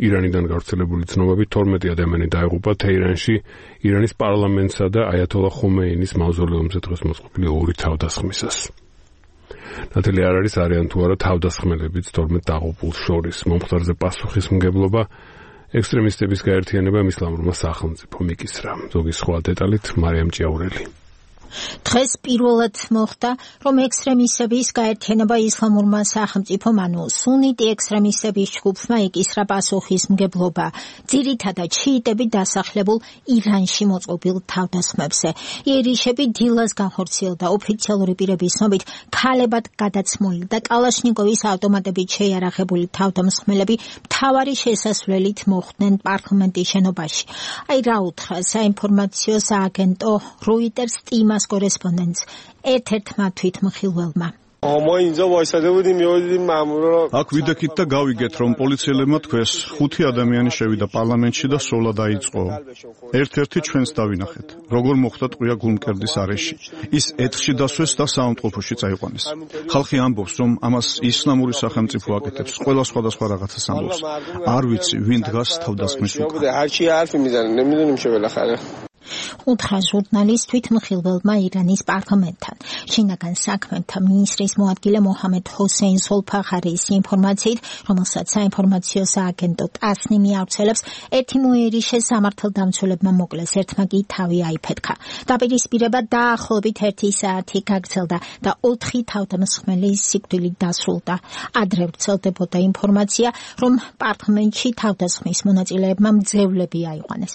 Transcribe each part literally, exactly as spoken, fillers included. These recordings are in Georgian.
ირანიდან გავრცელებული ცნობები თორმეტი ადამიანი დაიღუპა თეირანში ირანის პარლამენტსა და აიათოლა ხომეინის მავზოლეუმზე დღეს მოწყობილი ორი თავდასხმისას. ნათელი არ არის არიან თუ არა თავდასხმელებიც თორმეტ დაღუპულს შორის. მომხდარზე პასუხისმგებლობა ექსტრემისტების გაერთიანებამ ისლამურმა სახელმწიფომ იკისრა. ზოგი სხვა დეტალით მარიამ ჭიაურელი. დღეს პირველად მოხდა, რომ ექსტრემისტების გაერთიანება ისლამურმა სახელმწიფომ, ანუ სუნიტი ექსტრემისტების ჯგუფმა იკისრა პასუხისმგებლობა ძირითადად შიიტები დასახლებულ ირანში მოწყობილ თავდასხმებზე. იერიშები დილას განხორციელდა ოფიციალური პირების ცნობით ქალებად გადაცმული და კალაშნიკოვის ავტომატებით შეიარაღებული თავდამსხმელები მთავარი შესასვლელით მოხვდნენ პარლამენტის შენობაში. აი რა უთხრა საინფორმაციო სააგენტო Reuters TIMAS კორესპონდენტს ერთ-ერთმა თვითმხილველმა. აქ ვიდექით და გავიგეთ, რომ პოლიციელებმა თქვეს, ხუთი ადამიანი შევიდა პარლამენტში და სოლა დაიწყო. ერთ-ერთი ჩვენს დავინახეთ, როგორ მოხდა ტყვია გულმკერდის არეში. ის ეთხში დასვეს და საავადმყოფოში წაიყვანეს. ხალხი ამბობს, რომ ამას ისლამური სახელმწიფო აკეთებს, ყველა სხვადასხვა რაღაცას ამბობს. არ ვიცი, ვინ დგას თავდასხმის უკან. უთხრა ჟურნალისტ თვითმხილველმა ირანის პარლამენტთან. შინაგან საქმეთა მინისტრის მოადგილე მოჰამედ ჰოსეინ სოლფახარის ინფორმაციით, რომელსაც საინფორმაციო სააგენტო ტასნიმი ავრცელებს, ერთი მოიერიშე სამართალდამცველებმა მოკლეს, ერთმა კი თავი აიფეთქა. დაპირისპირება დაახლოებით ერთი საათი გაგრძელდა და ოთხი თავდამსხმელის სიკვდილით დასრულდა. ადრე ვრცელდებოდა ინფორმაცია, რომ პარლამენტში თავდასხმის მონაწილეებმა მძევლები აიყვანეს.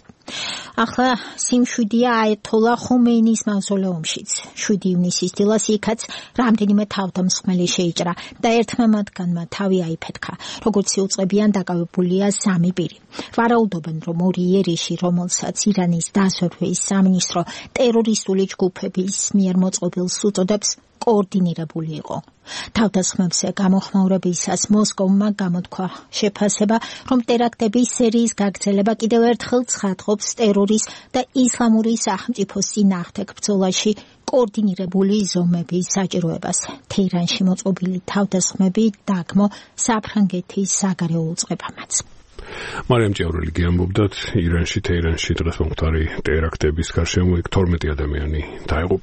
ახლა სიმშვიდეა აიათოლა ხომეინის მავზოლეუმშიც. შვიდი ივნისის დილას იქაც რამდენიმე თავდამსხმელი შეიჭრა და ერთმა მათგანმა თავი აიფეთქა. როგორც იუწყებიან, დაკავებულია სამი პირი. ვარაუდობენ, რომ ორი იერიში, რომელსაც ირანის დაზვერვის სამინისტრო ტერორისტული ჯგუფების მიერ მოწყობილს უწოდებს, კოორდინირებული იყო. თავდასხმებზე გამოხმაურებისას მოსკოვმა გამოთქვა შეფასება, რომ ტერაქტების სერიის გაგრძელება კიდევ ერთხელ ცხადყოფს ტერორის და ისლამური სახელმწიფოს წინააღმდეგ ბრძოლაში კოორდინირებული ზომების საჭიროებას. თეირანში მოწყობილი თავდასხმები დაგმო საფრანგეთის საგარეო უწყებამაც. მარიამ ჭიაურელი გიამბობდათ, ირანში თეირანში დღეს მომხდარი ტერაქტების გარშემო თორმეტი ადამიანი დაიღუპა.